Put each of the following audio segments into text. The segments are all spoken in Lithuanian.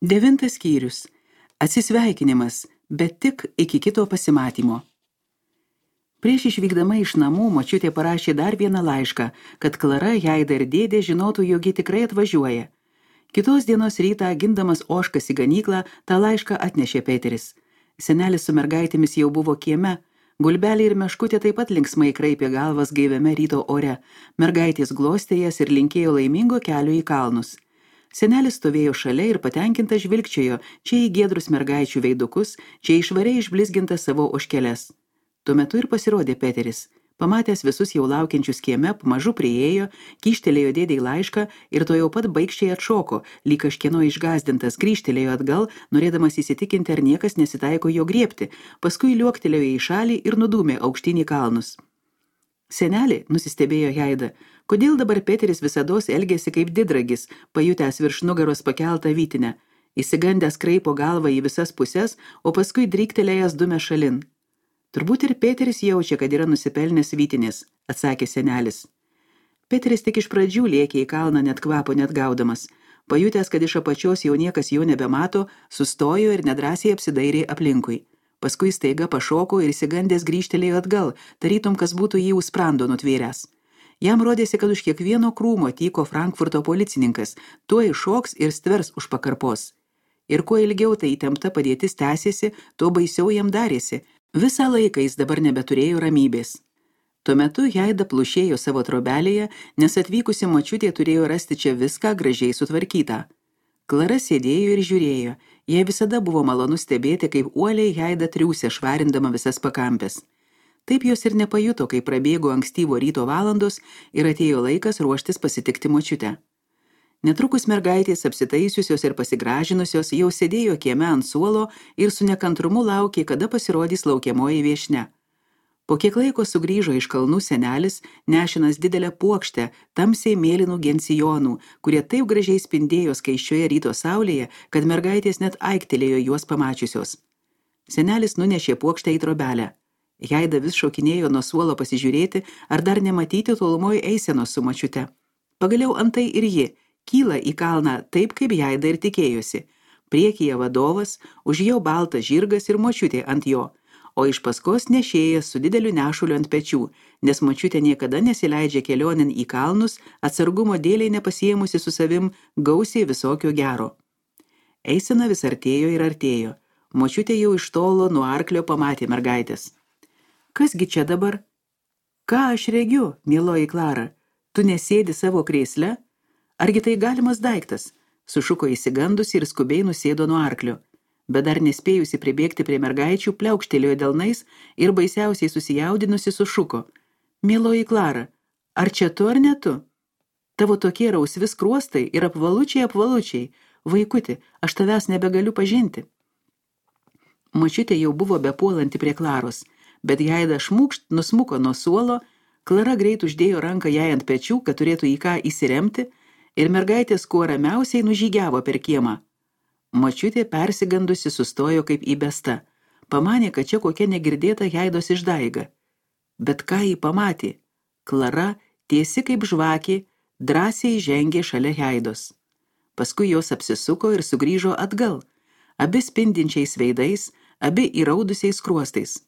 9 skyrius. Atsisveikinimas, bet tik iki kito pasimatymo. Prieš išvykdama iš namų močiutė parašė dar vieną laišką, kad Klara, Jaida ir dėdė žinotų, jog ji tikrai atvažiuoja. Kitos dienos rytą, gindamas ožkas į ganyklą, tą laišką atnešė Peteris. Senelis su mergaitėmis jau buvo kieme, Gulbelė ir Meškutė taip pat linksmai kraipė galvas gaiviame ryto ore, mergaitės glostė jas ir linkėjo laimingo kelio į kalnus. Senelis stovėjo šalia ir patenkintas žvilgčiojo čia į giedrus mergaičių veidukus, čia išvariai išblizgintas savo ožkeles. Tuo metu ir pasirodė Peteris. Pamatęs visus jau laukiančius kieme, pamažu priėjo, kyštelėjo dėdei laišką ir to jau pat baikščiai atšoko, lyg kažkieno išgąsdintas, grįžtelėjo atgal, norėdamas įsitikinti, ar niekas nesitaiko jo griebti, paskui liuoktelėjo į šalį ir nudūmė aukštyn į kalnus. Senelį, nusistebėjo Jaida, kodėl dabar Peteris visados elgėsi kaip didragis, pajutęs virš nugaros pakeltą vytinę, įsigandęs kraipo galvą į visas puses, o paskui dryktelėjęs dumė šalin. Turbūt ir Peteris jaučia, kad yra nusipelnęs vytinės, atsakė senelis. Peteris tik iš pradžių lėkė į kalną net kvapo net gaudamas. Pajutęs, kad iš apačios jau niekas jo nebemato, sustojo ir nedrąsiai apsidairė aplinkui. Paskui staiga pašoko ir įsigandęs grįžtelėjo atgal, tarytum, kas būtų jį už sprando nutvėręs. Jam rodėsi, kad už kiekvieno krūmo tyko Frankfurto policininkas, tuo iššoks ir stvers už pakarpos. Ir kuo ilgiau tai įtempta padėtis tęsėsi, tuo baisiau jam darėsi. Visą laiką jis dabar nebeturėjo ramybės. Tuo metu Jaida plušėjo savo trobelėje, nes atvykusi močiutė turėjo rasti čia viską gražiai sutvarkytą. Klara sėdėjo ir žiūrėjo, jai visada buvo malonu stebėti, kaip uoliai Jaida triūsė švarindama visas pakampes. Taip jos ir nepajuto, kai prabėgo ankstyvo ryto valandos ir atėjo laikas ruoštis pasitikti močiutę. Netrukus mergaitės apsitaisiusios ir pasigražinusios jau sėdėjo kieme ant suolo ir su nekantrumu laukė, kada pasirodys laukiamoji viešnia. Po kiek laiko sugrįžo iš kalnų senelis, nešinas didelę puokštę tamsiai mėlynų gensijonų, kurie taip gražiai spindėjo skaisčioje ryto saulėje, kad mergaitės net aiktelėjo juos pamačiusios. Senelis nunešė puokštę į trobelę. Jaida vis šokinėjo nuo suolo pasižiūrėti, ar dar nematyti tolumoje eisenos su močiute. Pagaliau antai ir ji kyla į kalną taip, kaip Jaida ir tikėjosi. Priekyje vadovas, už jo baltas žirgas ir močiutė ant jo, o iš paskos nešėjas su dideliu nešuliu ant pečių, nes močiutė niekada nesileidžia kelionin į kalnus, atsargumo dėliai nepasiėmusi su savim gausiai visokio gero. Eisena vis artėjo ir artėjo. Močiutė jau iš tolo nuo arklio pamatė mergaitės. Kasgi čia dabar? Ką aš regiu, mieloji Klara? Tu nesėdi savo krėsle? Argi tai galimas daiktas? Sušuko įsigandusi ir skubiai nusėdo nuo arklio. Bet dar nespėjusi pribėgti prie mergaičių, pliaukštelėjo delnais ir baisiausiai susijaudinusi sušuko. Mieloji Klara, ar čia tu ar ne tu? Tavo tokie rausvi skruostai ir apvalučiai, vaikuti, aš tavęs nebegaliu pažinti. Močiutė jau buvo bepuolanti prie Klaros, bet Jaida šmūkšt nusmuko nuo suolo, Klara greit uždėjo ranką jai ant pečių, kad turėtų į ką įsiremti, ir mergaitės kuo ramiausiai nužygiavo per kiemą. Močiutė persigandusi sustojo kaip įbesta. Pamanė, kad čia kokia negirdėta Jaidos išdaiga. Bet ką jį pamatė? Klara, tiesi kaip žvakė, drąsiai žengė šalia Jaidos. Paskui jos apsisuko ir sugrįžo atgal, abi spindinčiais veidais, abi įraudusiais skruostais.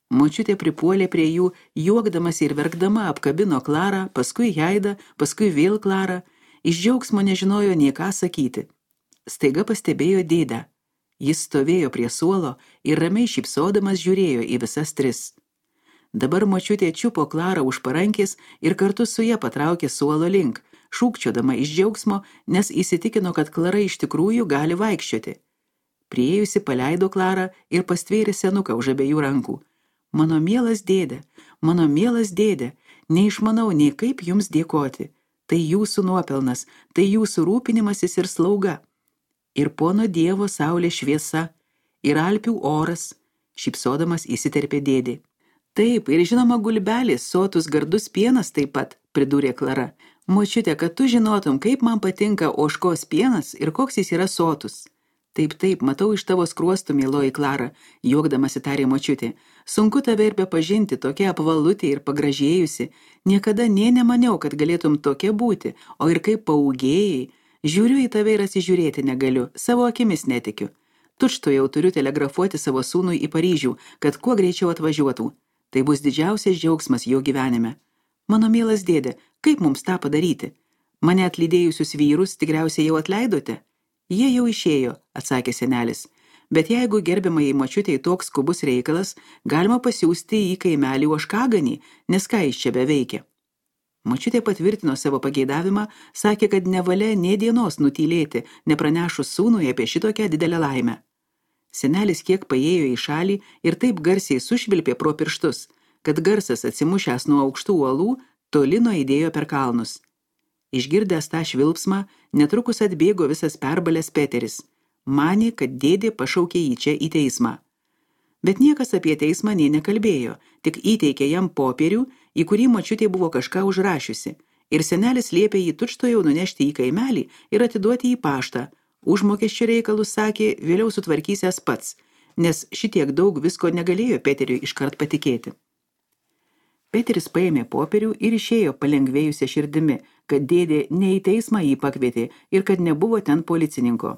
Močiutė pripuolė prie jų, juokdamas ir verkdama apkabino Klarą, paskui Jaidą, paskui vėl Klarą. Iš džiaugsmo nežinojo nie ką sakyti. Staiga pastebėjo dėdę. Jis stovėjo prie suolo ir ramiai šypsodamas žiūrėjo į visas tris. Dabar močiutė čiupo Klarą už parankės ir kartu su ja patraukė suolo link, šūkčiodama iš džiaugsmo, nes įsitikino, kad Klara iš tikrųjų gali vaikščioti. Priėjusi paleido Klarą ir pastvėrė senuką už abiejų rankų. Mano mielas dėde, neišmanau nei kaip jums dėkoti. Tai jūsų nuopelnas, tai jūsų rūpinimasis ir slauga. Ir pono Dievo saulė šviesa, ir Alpių oras, šypsodamas įsiterpė dėdė. Taip, ir žinoma Gulbelis, sotus gardus pienas taip pat, pridūrė Klara. Močiute, kad tu žinotum, kaip man patinka ožkos pienas ir koks jis yra sotus. Taip, matau iš tavo skruostų, mieloji Klara, juokdamasi tarė močiutė. Sunku tave ir bepažinti, tokia apvalutė ir pagražėjusi. Niekada nė nemaniau, kad galėtum tokia būti, o ir kaip paūgėjai. Žiūriu į tave ir atsižiūrėti negaliu, savo akimis netikiu. Tučto jau turiu telegrafuoti savo sūnui į Paryžių, kad kuo greičiau atvažiuotų. Tai bus didžiausias džiaugsmas jo gyvenime. Mano mielas dėdė, kaip mums tą padaryti? Mane atlydėjusius vyrus tikriausiai jau atleidote? Jie jau išėjo, atsakė senelis. Bet jeigu gerbiamai močiutei toks skubus reikalas, galima pasiųsti į kaimelį Ožkaganį, nes ką jis čia beveikia. Močiutė patvirtino savo pageidavimą, sakė, kad nevalia nė dienos nutylėti, nepranešus sūnui apie šitokią didelę laimę. Senelis kiek paėjo į šalį ir taip garsiai sušvilpė pro pirštus, kad garsas atsimušęs nuo aukštų uolų toli nuaidėjo per kalnus. Išgirdęs tą švilpsmą, netrukus atbėgo visas perbalęs Peteris. Manė, kad dėdė pašaukė jį čia į teismą. Bet niekas apie teismą nė nekalbėjo, tik įteikė jam popierių, į kurį močiutė buvo kažką užrašiusi, ir senelis liepė jį tučtuojau nunešti į kaimelį ir atiduoti į paštą. Užmokesčio reikalus, sakė, vėliau sutvarkysęs pats, nes šitiek daug visko negalėjo Peteriui iškart patikėti. Peteris paėmė popierių ir išėjo palengvėjusią širdimi, kad dėdė ne į teismą jį pakvietė ir kad nebuvo ten policininko.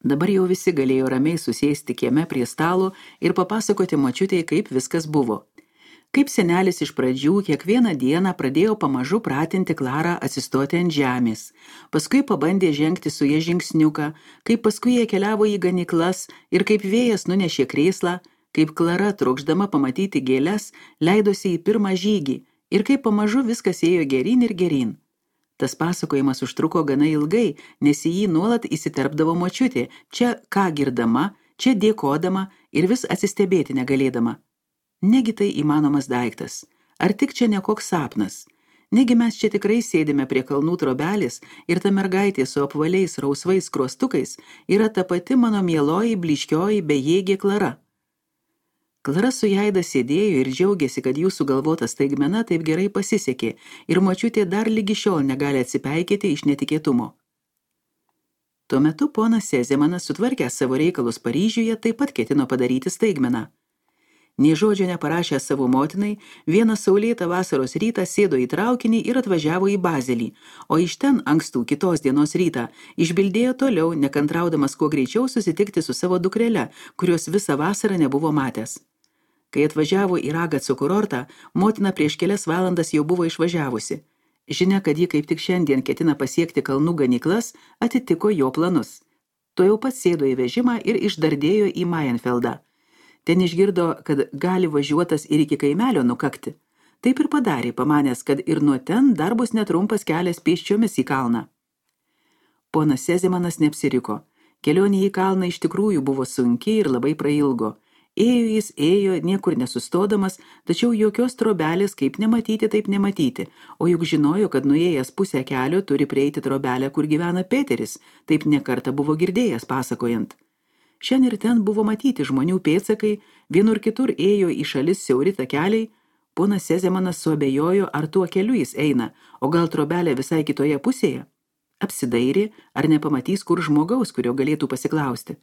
Dabar jau visi galėjo ramiai susėsti kieme prie stalo ir papasakoti močiutei, kaip viskas buvo. Kaip senelis iš pradžių kiekvieną dieną pradėjo pamažu pratinti Klarą atsistoti ant žemės, paskui pabandė žengti su ja žingsniuką, kaip paskui jie keliavo į ganyklas ir kaip vėjas nunešė krėslą, kaip Klara, trokšdama pamatyti gėles, leidosi į pirmą žygį ir kaip pamažu viskas ėjo geryn ir geryn. Tas pasakojimas užtruko gana ilgai, nes į jį nuolat įsiterpdavo močiutė, čia ką girdama, čia dėkodama ir vis atsistebėti negalėdama. Negi tai įmanomas daiktas, ar tik čia ne koks sapnas? Negi mes čia tikrai sėdime prie kalnų trobelės ir ta mergaitė su apvaliais rausvais skruostukais yra ta pati mano mieloji, blyškioji, bejėgė Klara. Klara su Jaida sėdėjo ir džiaugėsi, kad jų sugalvota staigmena taip gerai pasisekė ir močiutė dar lygi šiol negali atsipeikėti iš netikėtumo. Tuo metu ponas Sezemanas, sutvarkęs savo reikalus Paryžiuje, taip pat ketino padaryti staigmeną. Nė žodžio neparašęs savo motinai, vieną saulėtą vasaros rytą sėdo į traukinį ir atvažiavo į Bazelį, o iš ten ankstų kitos dienos rytą išbildėjo toliau, nekantraudamas kuo greičiau susitikti su savo dukrele, kurios visą vasarą nebuvo matęs. Kai atvažiavo į Ragaco kurortą, motina prieš kelias valandas jau buvo išvažiavusi. Žinia, kad ji kaip tik šiandien ketina pasiekti kalnų ganyklas, atitiko jo planus. Tuojau pat sėdo į vežimą ir išdardėjo į Mayenfeldą. Ten išgirdo, kad gali važiuotas ir iki kaimelio nukakti. Taip ir padarė, pamanęs, kad ir nuo ten dar bus netrumpas kelias pėsčiomis į kalną. Ponas Sezemanas neapsiriko. Kelionė į kalną iš tikrųjų buvo sunki ir labai prailgo. Ėjo jis, ėjo, niekur nesustodamas, tačiau jokios trobelės kaip nematyti, taip nematyti, o juk žinojo, kad nuėjęs pusę kelio turi prieiti trobelę, kur gyvena Peteris, taip nekartą buvo girdėjęs pasakojant. Šiandien ir ten buvo matyti žmonių pėdsakai, vienur kitur ėjo į šalis siauri takeliai, ponas Sezemanas suabejojo, ar tuo keliu jis eina, o gal trobelė visai kitoje pusėje. Apsidairė, ar nepamatys kur žmogaus, kurio galėtų pasiklausti.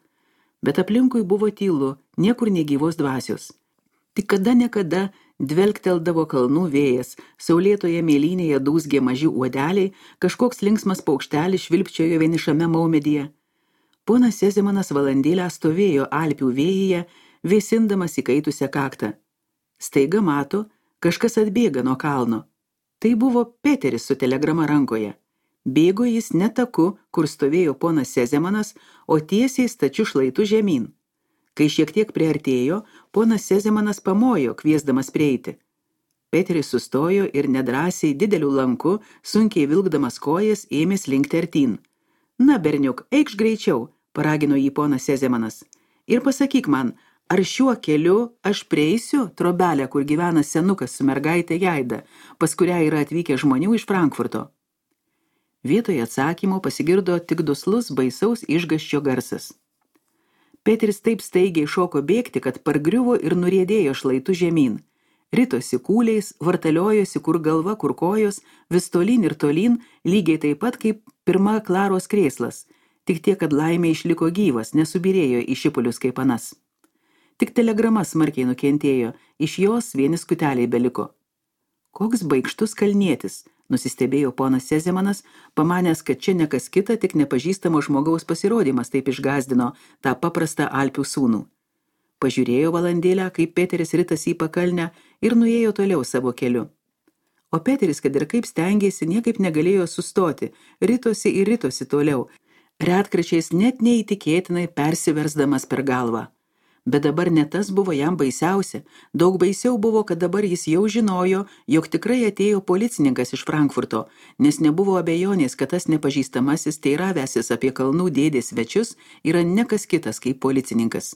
Bet aplinkui buvo tylu, niekur negyvos dvasios. Tik kada nekada dvelkteldavo kalnų vėjas, saulėtoje mėlynėje dūzgė maži uodeliai, kažkoks linksmas paukštelis švilpčiojo vienišame maumedyje. Ponas Sezemanas valandėlę stovėjo Alpių vėjyje, vėsindamas įkaitusią kaktą. Staiga mato, kažkas atbėga nuo kalno. Tai buvo Peteris su telegrama rankoje. Bėgo jis ne taku, kur stovėjo ponas Sezemanas, o tiesiai stačiu šlaitu žemyn. Kai šiek tiek priartėjo, ponas Sezemanas pamojo, kviesdamas prieiti. Peteris sustojo ir nedrąsiai dideliu lanku, sunkiai vilkdamas kojas, ėmė slinkti artyn. Na, berniuk, eikš greičiau, paragino jį ponas Sezemanas. Ir pasakyk man, ar šiuo keliu aš prieisiu trobelę, kur gyvena senukas su mergaitė Jaida, pas kurią yra atvykę žmonių iš Frankfurto? Vietoje atsakymo pasigirdo tik duslus baisaus išgąsčio garsas. Peteris taip staigiai šoko bėgti, kad pargriuvo ir nuriedėjo šlaitu žemyn. Ritosi kūliais, vartaliojosi kur galva, kur kojos, vis tolyn ir tolyn, lygiai taip pat kaip pirma Klaros krėslas, tik tiek, kad laimė išliko gyvas, nesubirėjo į šipulius kaip anas. Tik telegrama smarkiai nukentėjo, iš jos vieni skuteliai beliko. Koks baikštus kalnietis, Nusistebėjo ponas Sezemanas, pamanęs, kad čia nekas kita, tik nepažįstamo žmogaus pasirodymas taip išgazdino tą paprastą Alpių sūnų. Pažiūrėjo valandėlę, kaip Peteris ritasi į pakalnę ir nuėjo toliau savo keliu. O Peteris, kad ir kaip stengėsi, niekaip negalėjo sustoti, ritosi ir ritosi toliau, retkračiais net neįtikėtinai persiversdamas per galvą. Bet dabar ne tas buvo jam baisiausia, daug baisiau buvo, kad dabar jis jau žinojo, jog tikrai atėjo policininkas iš Frankfurto, nes nebuvo abejonės, kad tas nepažįstamasis teiravęsis apie kalnų dėdės svečius yra ne kas kitas kaip policininkas.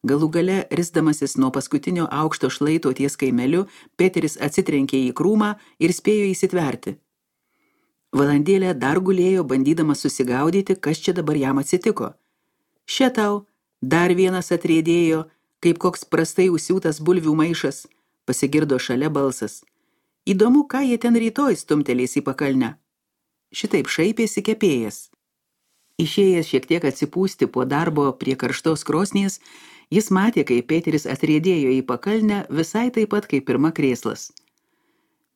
Galų gale, risdamasis nuo paskutinio aukšto šlaito ties kaimeliu, Peteris atsitrenkė į krūmą ir spėjo įsitverti. Valandėlę dar gulėjo, bandydamas susigaudyti, kas čia dabar jam atsitiko. Še tau, dar vienas atriedėjo, kaip koks prastai užsiūtas bulvių maišas, pasigirdo šalia balsas. Įdomu, ką jie ten rytoj stumtelės į pakalnę. Šitaip šaipėsi kepėjas. Išėjęs šiek tiek atsipūsti po darbo prie karštos krosnies, jis matė, kai Peteris atriedėjo į pakalnę visai taip pat kaip pirma krėslas.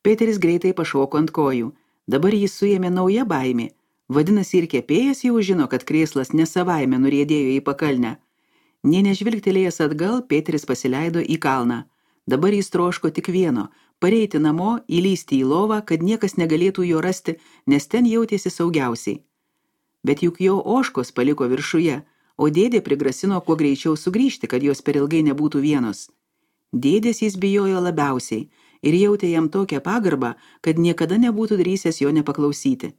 Peteris greitai pašoko ant kojų. Dabar jis suėmė nauja baimė. Vadinasi, ir kepėjas jau žino, kad krėslas nesavaime nuriedėjo į pakalnę. Nė nežvilgtelėjęs atgal, Peteris pasileido į kalną. Dabar jis troško tik vieno – pareiti namo, įlysti į lovą, kad niekas negalėtų jo rasti, nes ten jautėsi saugiausiai. Bet juk jo ožkos paliko viršuje, o dėdė prigrasino kuo greičiau sugrįžti, kad jos per ilgai nebūtų vienos. Dėdės jis bijojo labiausiai ir jautė jam tokią pagarbą, kad niekada nebūtų drįsęs jo nepaklausyti.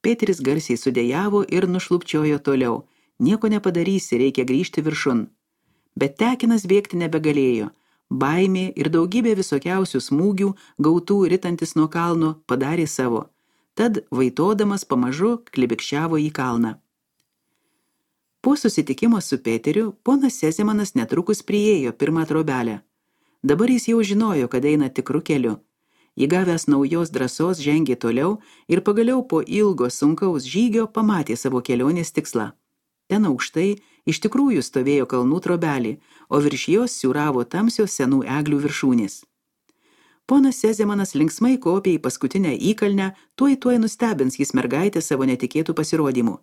Peteris garsiai sudejavo ir nušlupčiojo toliau. Nieko nepadarysi, reikia grįžti viršun. Bet tekinas bėgti nebegalėjo. Baimė ir daugybė visokiausių smūgių, gautų ritantis nuo kalno, padarė savo. Tad, vaitodamas, pamažu klibikščiavo į kalną. Po susitikimo su Peteriu, ponas Sezemanas netrukus priėjo pirmą trobelę. Dabar jis jau žinojo, kad eina tikru keliu. Įgavęs naujos drąsos žengė toliau ir pagaliau po ilgo sunkaus žygio pamatė savo kelionės tikslą. Ten aukštai iš tikrųjų stovėjo kalnų trobelė, o virš jos siūravo tamsios senų eglių viršūnės. Ponas Sezemanas linksmai kopė į paskutinę įkalnę, tuoj nustebins jis mergaitę savo netikėtų pasirodymų.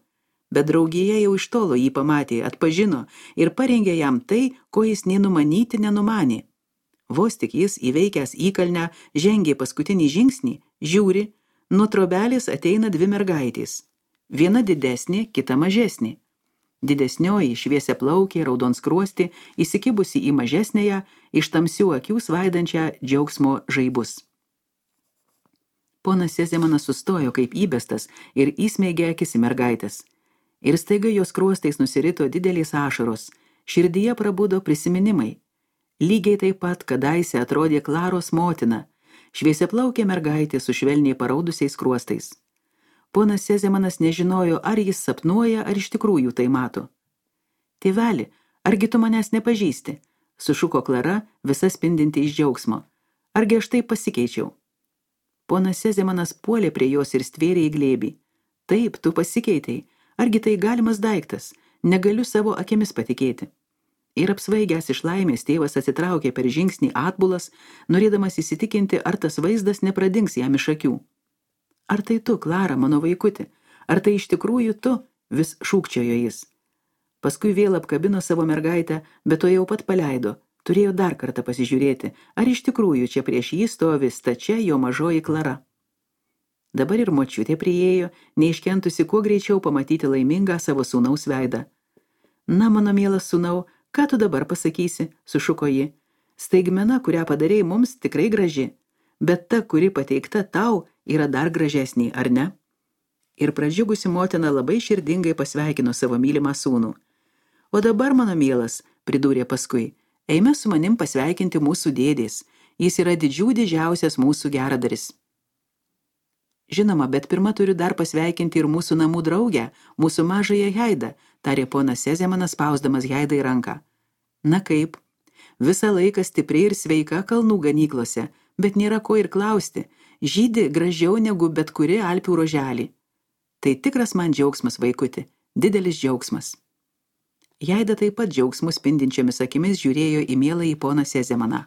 Bet draugija jau iš tolo jį pamatė, atpažino ir parengė jam tai, ko jis nei numanyti nenumanė. Vos tik jis įveikęs įkalnę, žengė paskutinį žingsnį, žiūri, nuo trobelės ateina dvi mergaitės. Viena didesnė, kita mažesnė. Didesnioji šviesiaplaukė, raudonskruosti, įsikibusi į mažesnėje, iš tamsių akių svaidančią džiaugsmo žaibus. Ponas Sezemanas sustojo kaip įbestas ir įsmeigė akis į mergaitės. Ir staiga jos skruostais nusirito didelės ašaros, širdyje prabudo prisiminimai. Lygiai taip pat kadaise atrodė Klaros motina, šviesiaplaukė mergaitė su švelniai paraudusiais skruostais. Ponas Sezemanas nežinojo, ar jis sapnuoja, ar iš tikrųjų tai mato. Tėveli, argi tu manęs nepažįsti? Sušuko Klara, visa spindinti iš džiaugsmo. Argi aš taip pasikeičiau? Ponas Sezemanas puolė prie jos ir stvėrė į glėbį. Taip, tu pasikeitei. Argi tai galimas daiktas? Negaliu savo akimis patikėti. Ir apsvaigęs iš laimės tėvas atsitraukė per žingsnį atbulas, norėdamas įsitikinti, ar tas vaizdas nepradings jam iš akių. Ar tai tu, Klara, mano vaikuti? Ar tai iš tikrųjų tu? Vis šūkčiojo jis. Paskui vėl apkabino savo mergaitę, bet to jau pat paleido. Turėjo dar kartą pasižiūrėti, ar iš tikrųjų čia prieš jį stovi stačia jo mažoji Klara. Dabar ir močiutė priėjo, neiškentusi kuo greičiau pamatyti laimingą savo sūnaus veidą. Na, mano mielas sūnau, ką tu dabar pasakysi, sušuko ji. Staigmena, kurią padarei mums, tikrai graži, bet ta, kuri pateikta tau, yra dar gražesnė, ar ne? Ir pradžiugusi motina labai širdingai pasveikino savo mylimą sūnų. O dabar, mano mielas, pridūrė paskui, eime su manim pasveikinti mūsų dėdės. Jis yra didžiausias mūsų geradaris. Žinoma, bet pirma turiu dar pasveikinti ir mūsų namų draugę, mūsų mažąją Heidą, tarė ponas Sezemanas, spausdamas Heidai ranką. Na kaip? Visą laiką stipri ir sveika kalnų ganyklose, bet nėra ko ir klausti. Žydi gražiau negu bet kuri Alpių roželį. Tai tikras man džiaugsmas, vaikuti, didelis džiaugsmas. Heida taip pat džiaugsmų spindinčiomis akimis žiūrėjo į mieląjį poną Sezemaną.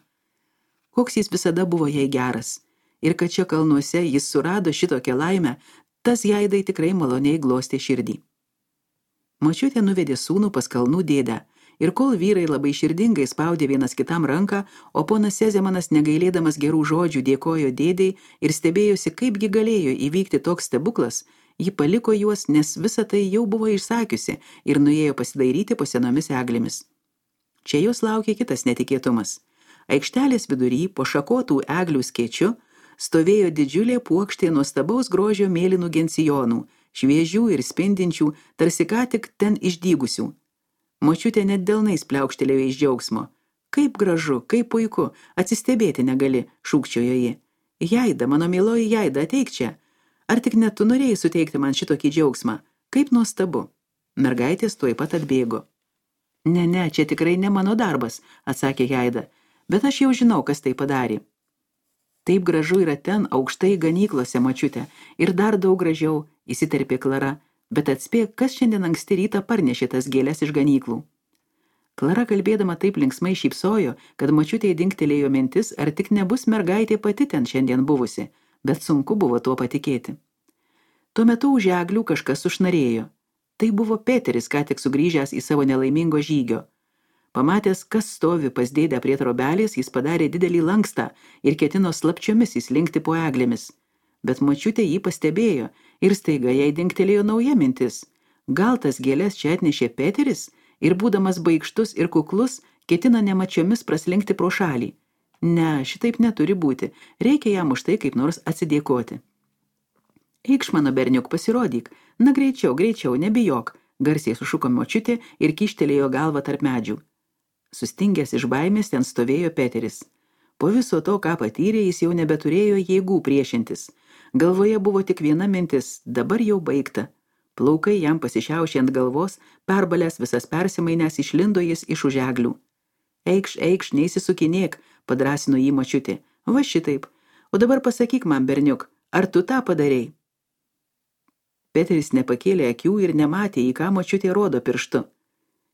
Koks jis visada buvo jai geras. ir kad čia kalnuose jis surado šitokią laimę, tas Jaidai tikrai maloniai glostė širdį. Močiutė nuvedė sūnų pas kalnų dėdę, ir kol vyrai labai širdingai spaudė vienas kitam ranką, o ponas Sezemanas negailėdamas gerų žodžių dėkojo dėdei ir stebėjosi, kaipgi galėjo įvykti toks stebuklas, ji paliko juos, nes visa tai jau buvo išsakiusi ir nuėjo pasidairyti po senomis eglėmis. Čia jos laukė kitas netikėtumas. Aikštelės vidury po šakotų eglių skėčiu stovėjo didžiulė puokštė nuostabaus grožio mėlynų gencijonų, šviežių ir spindinčių, tarsi ką tik ten išdygusių. Močiutė net delnais pliaukštelėjo iš džiaugsmo. Kaip gražu, kaip puiku, atsistebėti negali, šūkčiojo ji. Jaida, mano mieloji Jaida, ateik čia. Ar tik net tu norėjai suteikti man šitokį džiaugsmą? Kaip nuostabu. Mergaitės tuoj pat atbėgo. Ne, čia tikrai ne mano darbas, atsakė Jaida, bet aš jau žinau, kas tai padarė. Taip gražu yra ten, aukštai ganyklose, močiutė, ir dar daug gražiau, įsiterpė Klara, bet atspėk, kas šiandien anksti rytą parnešė tas gėles iš ganyklų. Klara kalbėdama taip linksmai šypsojo, kad močiutei dingtelėjo mintis, ar tik nebus mergaitė pati ten šiandien buvusi, bet sunku buvo tuo patikėti. Tuo metu už eglių kažkas sušnarėjo. Tai buvo Peteris, ką tik sugrįžęs į savo nelaimingo žygio. Pamatęs, kas stovi pas dėdę prie trobelės, jis padarė didelį lankstą ir ketino slapčiomis įslinkti po eglėmis. Bet močiutė jį pastebėjo ir staiga jai dingtelėjo nauja mintis. Gal tas gėles čia atnešė Peteris ir būdamas baikštus ir kuklus, ketina nemačiomis praslinkti pro šalį. Ne, šitaip neturi būti, reikia jam už tai kaip nors atsidėkoti. Eikš, mano berniuk, pasirodyk, na greičiau, nebijok, garsiai sušuko močiutė ir kyštelėjo galvą tarp medžių. Sustingęs iš baimės ten stovėjo Peteris. Po viso to, ką patyrė, jis jau nebeturėjo jėgų priešintis. Galvoje buvo tik viena mintis, dabar jau baigta. Plaukai jam pasišiaušė ant galvos, perbalęs visas persimainęs išlindo jis iš už eglių. Eikš, neįsisukinėk, padrąsino jį močiutė. Va šitaip. O dabar pasakyk man, berniuk, ar tu tą padarei? Peteris nepakėlė akių ir nematė, į ką močiutė rodo pirštu.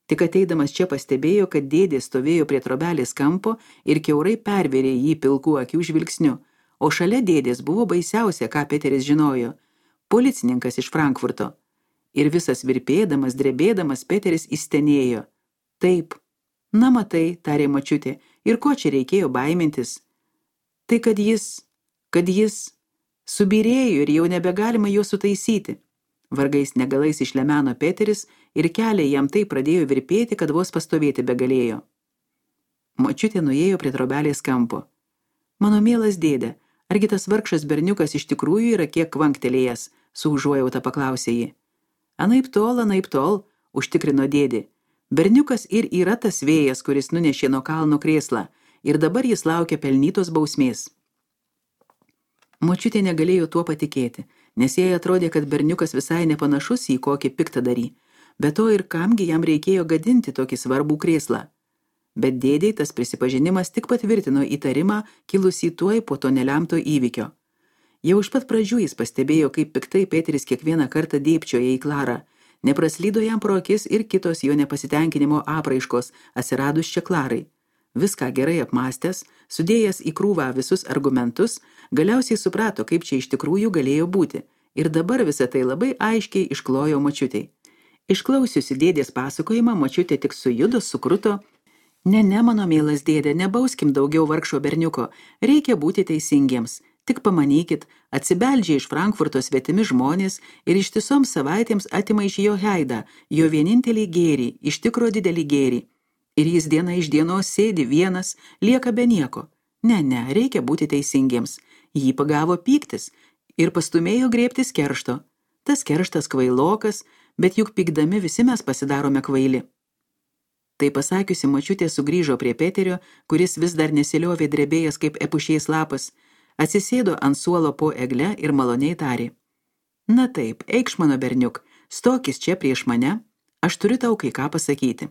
Tik ateidamas čia pastebėjo, kad dėdė stovėjo prie trobelės kampo ir kiaurai pervėrė jį pilkų akių žvilgsniu, o šalia dėdės buvo baisiausia, ką Peteris žinojo – policininkas iš Frankfurto. Ir visas virpėdamas, drebėdamas, Peteris įstenėjo. Taip, na matai, tarė močiutė, ir ko čia reikėjo baimintis? Tai kad jis subyrėjo ir jau nebegalima jo sutaisyti. Vargais negalais išlemeno Peteris ir keliai jam tai pradėjo virpėti, kad vos pastovėti begalėjo. Močiutė nuėjo prie trobelės kampo. Mano mielas dėdė, argi tas vargšas berniukas iš tikrųjų yra kiek kvanktelėjęs, su užuojauta paklausė ji. Anaip tol, užtikrino dėdė. Berniukas ir yra tas vėjas, kuris nunešė nuo kalno krėslą, ir dabar jis laukia pelnytos bausmės. Močiutė negalėjo tuo patikėti, nes jai atrodė, kad berniukas visai nepanašus į kokį piktadarį, bet to ir kamgi jam reikėjo gadinti tokį svarbų krėslą. Bet dėdei tas prisipažinimas tik patvirtino įtarimą kilusį tuoj po to nelemto įvykio. Jau iš pat pradžių jis pastebėjo, kaip piktai Peteris kiekvieną kartą dėbčioja į Klarą. Nepraslydo jam pro akis ir kitos jo nepasitenkinimo apraiškos atsiradus čia Klarai. Viską gerai apmąstęs, sudėjęs į krūvą visus argumentus, galiausiai suprato, kaip čia iš tikrųjų galėjo būti, ir dabar visą tai labai aiškiai išklojo močiutei. Išklausiusi dėdės pasakojimą, močiutė tik sujudo, sukruto. Ne, mano mielas dėdė, nebauskim daugiau vargšo berniuko, reikia būti teisingiems. Tik pamanykit, atsibeldžia iš Frankfurto svetimi žmonės ir ištisoms savaitėms atima iš jo Jaidą, jo vienintelį gėrį, iš tikro didelį gėrį. Ir jis diena iš dienos sėdi vienas, lieka be nieko. Ne, reikia būti teisingiems. Jį pagavo pyktis ir pastumėjo griebtis keršto. Tas kerštas kvailokas, bet juk pykdami visi mes pasidarome kvaili. Tai pasakiusi, močiutė sugrįžo prie Peterio, kuris vis dar nesiliovė drebėjęs kaip epušiais lapas, atsisėdo ant suolo po egle ir maloniai tarė. Na taip, eikš mano berniuk, stokis čia prieš mane, aš turiu tau kai ką pasakyti.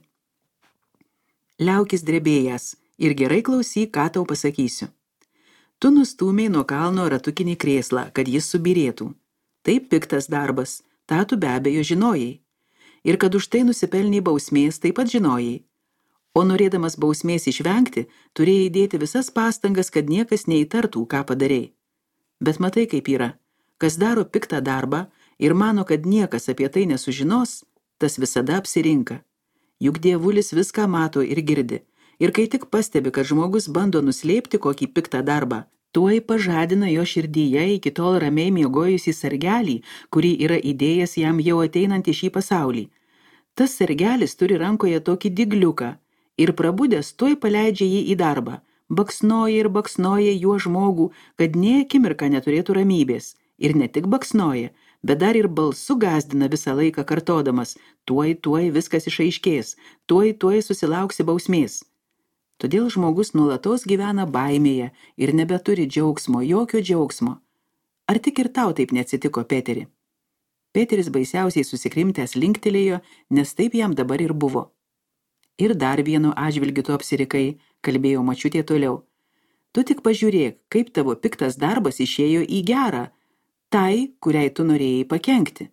Liaukis drebėjęs ir gerai klausyk, ką tau pasakysiu. Tu nustūmei nuo kalno ratukinį krėslą, kad jis subyrėtų. Tai piktas darbas, tą tu be abejo žinojai. Ir kad už tai nusipelnei bausmės, taip pat žinojai. O norėdamas bausmės išvengti, turėjai dėti visas pastangas, kad niekas neįtartų, ką padarei. Bet matai, kaip yra. Kas daro piktą darbą ir mano, kad niekas apie tai nesužinos, tas visada apsirinka. Juk dievulis viską mato ir girdi. Ir kai tik pastebi, kad žmogus bando nuslėpti kokį piktą darbą, tuoj pažadina jo širdyje iki tol ramiai miegojusį sargelį, kurį yra įdėjęs jam jau ateinant į šį pasaulį. Tas sargelis turi rankoje tokį digliuką ir prabudęs tuoj paleidžia jį į darbą, baksnoja juo žmogų, kad nė akimirką neturėtų ramybės. Ir ne tik baksnoja, bet dar ir balsu gąsdina visą laiką kartodamas, tuoj viskas išaiškės, tuoj susilauksi bausmės. Todėl žmogus nuolatos gyvena baimėje ir nebeturi džiaugsmo, jokio džiaugsmo. Ar tik ir tau taip neatsitiko, Peteri? Peteris baisiausiai susikrimtęs linktelėjo, nes taip jam dabar ir buvo. Ir dar vienu atžvilgiu tu apsirikai, kalbėjo močiutė toliau. Tu tik pažiūrėk, kaip tavo piktas darbas išėjo į gerą, tai, kuriai tu norėjai pakenkti.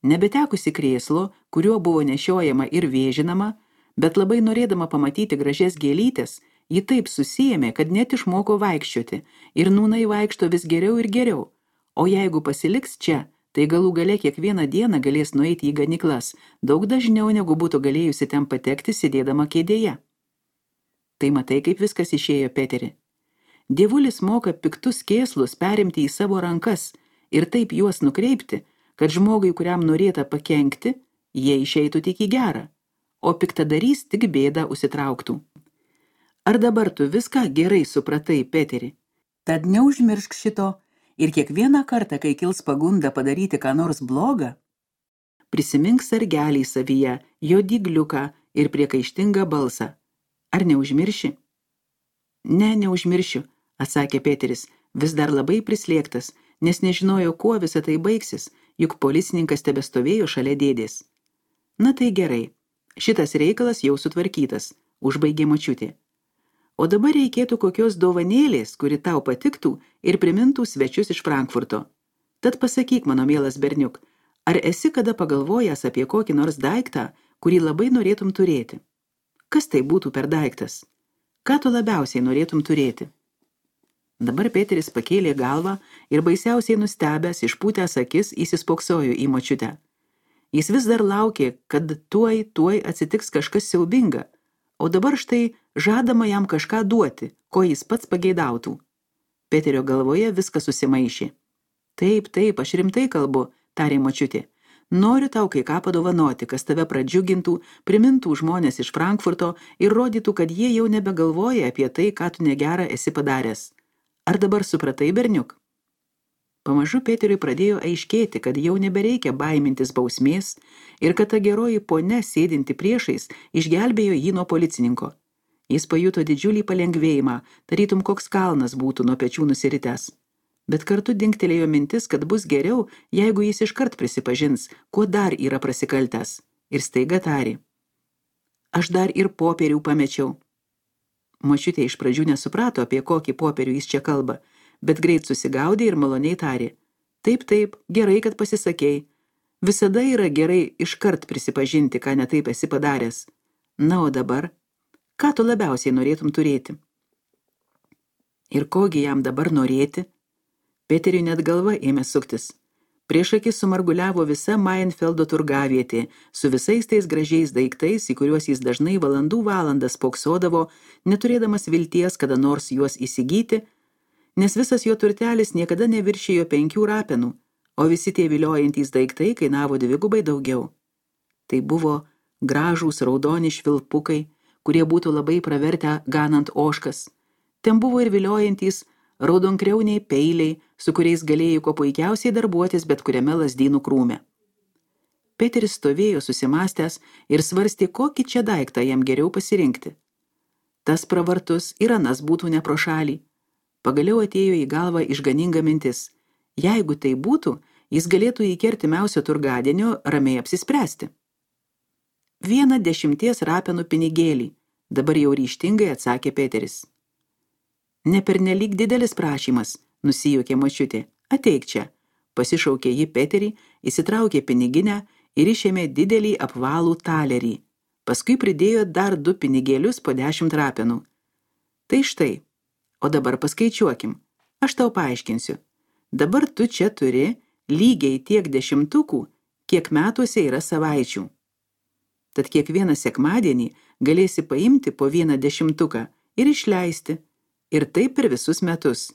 Nebetekusi krėslo, kuriuo buvo nešiojama ir vėžinama, bet labai norėdama pamatyti gražias gėlytes, ji taip susijėmė, kad net išmoko vaikščioti ir nūnai vaikšto vis geriau ir geriau, o jeigu pasiliks čia, tai galų gale kiekvieną dieną galės nueiti į ganyklas, daug dažniau negu būtų galėjusi ten patekti sėdėdama kėdėje. Tai matai, kaip viskas išėjo, Peteri. Dievulis moka piktus kėslus perimti į savo rankas ir taip juos nukreipti, kad žmogui, kuriam norėta pakenkti, jie išeitų tik į gerą, o piktadarys tik bėdą užsitrauktų. Ar dabar tu viską gerai supratai, Peteri? Tad neužmiršk šito ir kiekvieną kartą, kai kils pagunda padaryti ką nors blogą, prisimink sargelį savyje, jo dygliuką ir priekaištingą balsą. Ar neužmirši? Ne, neužmiršiu, atsakė Peteris, vis dar labai prislėgtas, nes nežinojo, kuo visa tai baigsis, juk policininkas tebestovėjo šalia dėdės. Na tai gerai, šitas reikalas jau sutvarkytas, užbaigė močiutė. O dabar reikėtų kokios dovanėlės, kuri tau patiktų ir primintų svečius iš Frankfurto. Tad pasakyk, mano mielas berniuk, ar esi kada pagalvojęs apie kokį nors daiktą, kurį labai norėtum turėti? Kas tai būtų per daiktas? Ką tu labiausiai norėtum turėti? Dabar Peteris pakėlė galvą ir baisiausiai nustebęs, išpūtęs akis, įsispoksojo į močiutę. Jis vis dar laukė, kad tuoj atsitiks kažkas siaubinga, o dabar štai žadama jam kažką duoti, ko jis pats pageidautų. Peterio galvoje viskas susimaišė. Taip, aš rimtai kalbu, tarė močiutė. Noriu tau kai ką padovanoti, kas tave pradžiugintų, primintų žmonės iš Frankfurto ir rodytų, kad jie jau nebegalvoja apie tai, ką tu negerą esi padaręs. Ar dabar supratai, berniuk? Pamažu Peteriui pradėjo aiškėti, kad jau nebereikia baimintis bausmės ir kad ta geroji ponia sėdinti priešais išgelbėjo jį nuo policininko. Jis pajuto didžiulį palengvėjimą, tarytum koks kalnas būtų nuo pečių nusiritęs. Bet kartu dingtelėjo mintis, kad bus geriau, jeigu jis iškart prisipažins, kuo dar yra prasikaltęs. Ir staiga tarė. Aš dar ir popierių pamečiau. Močiutė iš pradžių nesuprato, apie kokį popierių jis čia kalba, bet greit susigaudė ir maloniai tarė. Taip, gerai, kad pasisakei. Visada yra gerai iškart prisipažinti, ką netaip esi padaręs. Na, o dabar, ką tu labiausiai norėtum turėti? Ir kogi jam dabar norėti? Peteriui net galva ėmė suktis. Prieš akis sumarguliavo visa Mainfeldo turgavietė, su visais tais gražiais daiktais, į kuriuos jis dažnai valandų valandas spoksodavo, neturėdamas vilties kada nors juos įsigyti, nes visas jo turtelis niekada neviršijo 5 rapenų, o visi tie viliojantys daiktai kainavo 2 daugiau. Tai buvo gražūs raudoni švilpukai, kurie būtų labai pravertę ganant ožkas. Ten buvo ir viliojantys raudonkriauniai peiliai, su kuriais galėjo kuo puikiausiai darbuotis bet kuriame lazdynų krūme. Peteris stovėjo susimastęs ir svarstė, kokį čia daiktą jam geriau pasirinkti. Tas pravartus ir anas būtų ne pro šalį. Pagaliau atėjo į galvą išganinga mintis. Jeigu tai būtų, jis galėtų iki artimiausio turgadienio ramiai apsispręsti. 10 rapenų pinigėlį, dabar jau ryžtingai atsakė Peteris. Nepernelyg didelis prašymas, nusijuokė močiutė. Ateik čia, pasišaukė ji Peterį, įsitraukė piniginę ir išėmė didelį apvalų talerį. Paskui pridėjo dar 2 pinigėlius po 10 rapenų. Tai štai, o dabar paskaičiuokim, aš tau paaiškinsiu. Dabar tu čia turi lygiai tiek 10, kiek metuose yra savaičių. Tad kiekvieną sekmadienį galėsi paimti po 1/10 ir išleisti, ir taip per visus metus.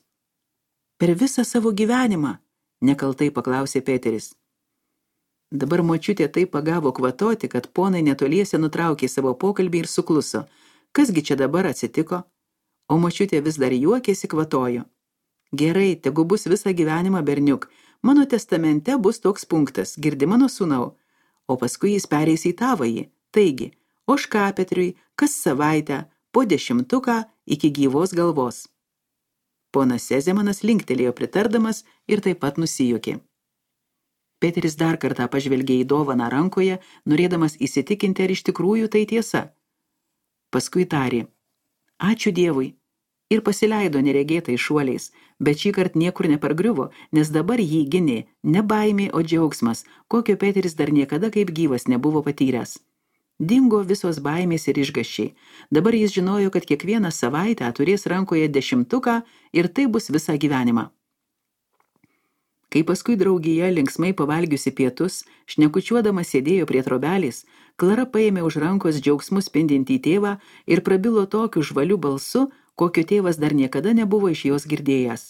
Per visą savo gyvenimą, nekaltai paklausė Peteris. Dabar močiutė taip pagavo kvatoti, kad ponai netoliese nutraukė savo pokalbį ir sukluso. Kasgi čia dabar atsitiko? O močiutė vis dar juokėsi, kvatojo. Gerai, tegu bus visą gyvenimą, berniuk. Mano testamente bus toks punktas, girdi mano sūnau. O paskui jis pereis į tavąjį. Taigi, ožkapetriui kas savaitę po 10 iki gyvos galvos. Ponas Sezemanas linktelėjo pritardamas ir taip pat nusijuokė. Peteris dar kartą pažvelgė į dovaną rankoje, norėdamas įsitikinti, ar iš tikrųjų tai tiesa. Paskui tarė, ačiū Dievui, ir pasileido neregėtai šuoliais, bet šį kartą niekur nepargriuvo, nes dabar jį gynė ne baimė, o džiaugsmas, kokio Peteris dar niekada kaip gyvas nebuvo patyręs. Dingo visos baimės ir išgąsčiai. Dabar jis žinojo, kad kiekvieną savaitę turės rankoje 10 ir tai bus visą gyvenimą. Kai paskui draugija linksmai pavalgiusi pietus, šnekučiuodama sėdėjo prie trobelės, Klara paėmė už rankos džiaugsmu spindintį tėvą ir prabilo tokiu žvaliu balsu, kokio tėvas dar niekada nebuvo iš jos girdėjęs.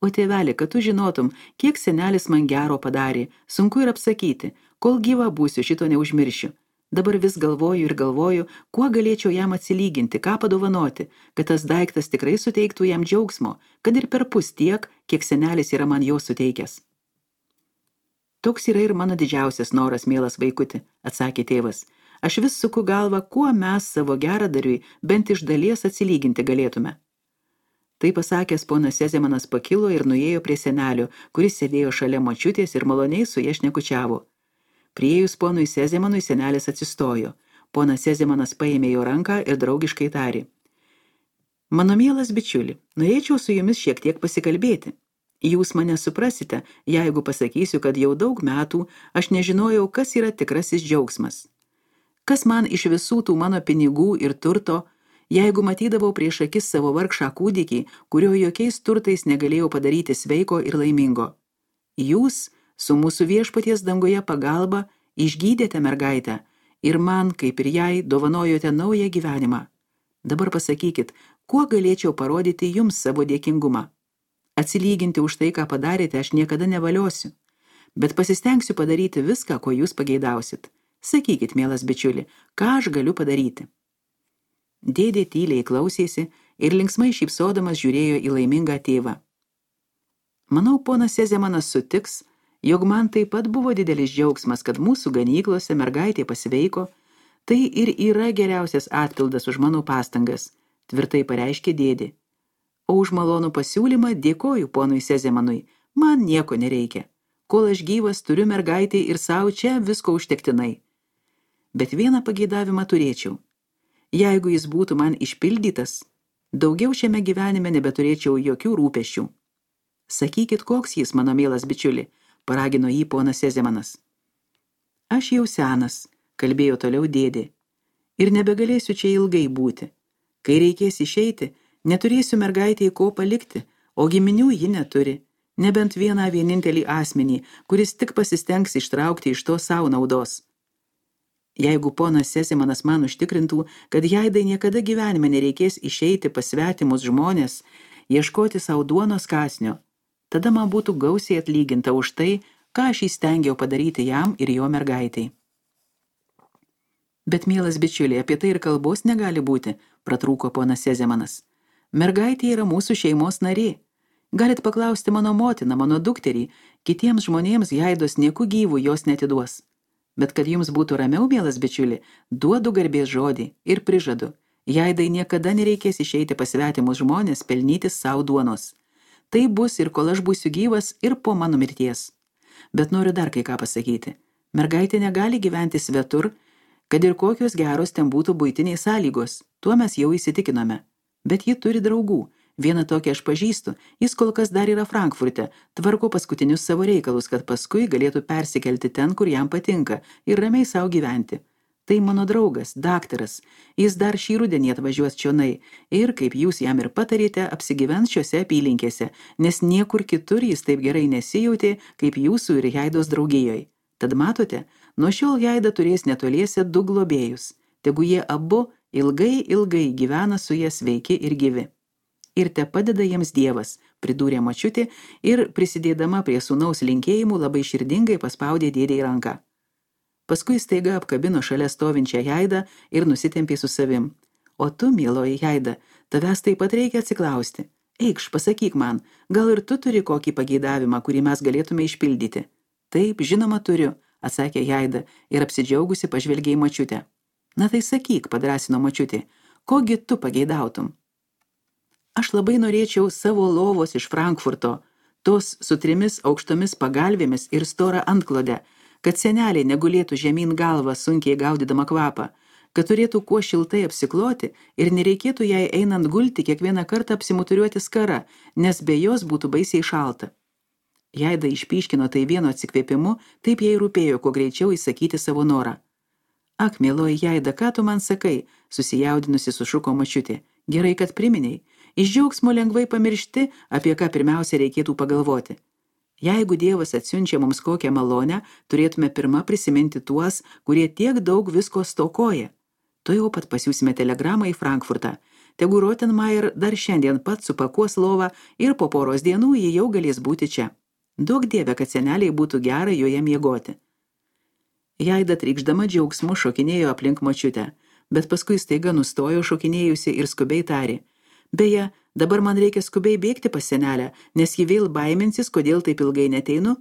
O tėveli, kad tu žinotum, kiek senelis man gero padarė, sunku ir apsakyti, kol gyva būsiu, šito neužmiršiu. Dabar vis galvoju ir galvoju, kuo galėčiau jam atsilyginti, ką padovanoti, kad tas daiktas tikrai suteiktų jam džiaugsmo, kad ir perpus tiek, kiek senelis yra man jo suteikęs. Toks yra ir mano didžiausias noras, mielas vaikuti, atsakė tėvas. Aš vis suku galvą, kuo mes savo geradariui bent iš dalies atsilyginti galėtume. Tai pasakęs, ponas Sezemanas pakilo ir nuėjo prie senelio, kuris sėdėjo šalia močiutės ir maloniai su ja šnekučiavo. Priėjus ponui Sezemanui senelis atsistojo. Ponas Sezemanas paėmė jo ranką ir draugiškai tarė. Mano mielas bičiuli, norėčiau su jumis šiek tiek pasikalbėti. Jūs mane suprasite, jeigu pasakysiu, kad jau daug metų aš nežinojau, kas yra tikrasis džiaugsmas. Kas man iš visų tų mano pinigų ir turto, jeigu matydavau prieš akis savo vargšą kūdikį, kurio jokiais turtais negalėjau padaryti sveiko ir laimingo. Jūs su mūsų viešpaties danguje pagalba išgydėte mergaitę ir man, kaip ir jai, dovanojote naują gyvenimą. Dabar pasakykit, kuo galėčiau parodyti jums savo dėkingumą. Atsilyginti už tai, ką padarėte, aš niekada nevaliosiu, bet pasistengsiu padaryti viską, ko jūs pageidausit. Sakykit, mielas bičiuli, ką aš galiu padaryti? Dėdė tyliai klausėsi ir linksmai šypsodamas žiūrėjo į laimingą tėvą. Manau, ponas Sezemanas sutiks, jog man taip pat buvo didelis džiaugsmas, kad mūsų ganyklose mergaitė pasveiko, tai ir yra geriausias atpildas už mano pastangas, tvirtai pareiškė dėdė. O už malonų pasiūlymą dėkoju ponui Sezemanui, man nieko nereikia. Kol aš gyvas, turiu mergaitį ir savo čia visko užtektinai. Bet vieną pageidavimą turėčiau. Jeigu jis būtų man išpildytas, daugiau šiame gyvenime nebeturėčiau jokių rūpesčių. Sakykit, koks jis, mano mielas bičiuli, paragino jį ponas Sezemanas. Aš jau senas, kalbėjo toliau dėdė, ir nebegalėsiu čia ilgai būti. Kai reikės išeiti, neturėsiu mergaitėje ko palikti, o giminių ji neturi, nebent vieną vienintelį asmenį, kuris tik pasistengs ištraukti iš to savo naudos. Jeigu ponas Sezemanas man užtikrintų, kad jaidai niekada gyvenime nereikės išeiti pas svetimus žmonės, ieškoti savo duonos kąsnio, tada man būtų gausiai atlyginta už tai, ką aš įstengiau padaryti jam ir jo mergaitai. Bet, mielas bičiuliai, apie tai ir kalbos negali būti, pratrūko ponas Sezemanas. Mergaitė yra mūsų šeimos narė. Galit paklausti mano motiną, mano dukterį, kitiems žmonėms jaidos nieku gyvų jos netiduos. Bet kad jums būtų ramiau, mielas bičiuli, duodu garbės žodį ir prižadu, jaidai niekada nereikės išeiti pas svetimus žmonės pelnyti savo duonos. Tai bus ir kol aš būsiu gyvas ir po mano mirties. Bet noriu dar kai ką pasakyti. Mergaitė negali gyventi svetur, kad ir kokios geros ten būtų buitiniai sąlygos, tuo mes jau įsitikinome. Bet ji turi draugų. Vieną tokią aš pažįstu, jis kol kas dar yra Frankfurte, tvarko paskutinius savo reikalus, kad paskui galėtų persikelti ten, kur jam patinka ir ramiai savo gyventi. Tai mano draugas, daktaras. Jis dar šį rudenį atvažiuos čionai ir, kaip jūs jam ir patarėte, apsigyvens šiose apylinkėse, nes niekur kitur jis taip gerai nesijautė, kaip jūsų ir Jaidos draugijoj. Tad matote, nuo šiol Jaida turės netoliese 2 globėjus. Tegu jie abu ilgai gyvena su jie sveiki ir gyvi. Ir te padeda jiems Dievas, pridūrė močiutė ir, prisidėdama prie sūnaus linkėjimų, labai širdingai paspaudė dėdei ranką. Paskui staiga apkabino šalia stovinčią Jaidą ir nusitempė su savim. O tu, mieloji Jaida, tavęs taip pat reikia atsiklausti. Eikš, pasakyk man, gal ir tu turi kokį pageidavimą, kurį mes galėtume išpildyti? Taip, žinoma turiu, atsakė Jaida ir apsidžiaugusi pažvelgė į močiutę. Na tai sakyk, padrąsino močiutė, kogi tu pageidautum? Aš labai norėčiau savo lovos iš Frankfurto, tos su 3 aukštomis pagalvėmis ir storą antklodę, kad senelė negulėtų žemyn galvą sunkiai gaudydama kvapą, kad turėtų kuo šiltai apsikloti ir nereikėtų jai einant gulti kiekvieną kartą apsimuturiuoti skara, nes be jos būtų baisiai šalta. Jaida išpyškino tai vieno atsikvėpimu, taip jai rūpėjo kuo greičiau įsakyti savo norą. Ak, mieloji Jaida, ką tu man sakai, susijaudinusi sušuko močiutė. Gerai, kad priminei. Iš džiaugsmo lengvai pamiršti, apie ką pirmiausia reikėtų pagalvoti. Jeigu Dievas atsiunčia mums kokią malonę, turėtume pirma prisiminti tuos, kurie tiek daug visko stokoja. Tuojau pat pasiųsime telegramą į Frankfurtą. Tegu Rottenmeier dar šiandien pat supakuos lovą ir po poros dienų ji jau galės būti čia. Duok Dieve, kad seneliai būtų gera joje miegoti. Jaida trykšdama džiaugsmu šokinėjo aplink močiutę, bet paskui staiga nustojo šokinėjusi ir skubiai tarė. Beje, dabar man reikia skubiai bėgti pas senelę, nes ji vėl baiminsis, kodėl taip ilgai neteinu.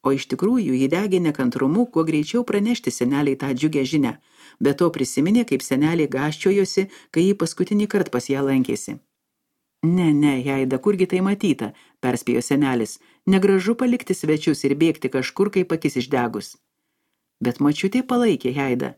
O iš tikrųjų ji degė nekantrumu, kuo greičiau pranešti seneliai tą džiugę žinią, bet to prisiminė, kaip senelė gąsčiojosi, kai ji paskutinį kartą pas ją lankėsi. Ne, Jaida, kurgi tai matyta, perspėjo senelis, negražu palikti svečius ir bėgti kažkur, kaip akis išdegus. Bet močiutė palaikė Jaidą.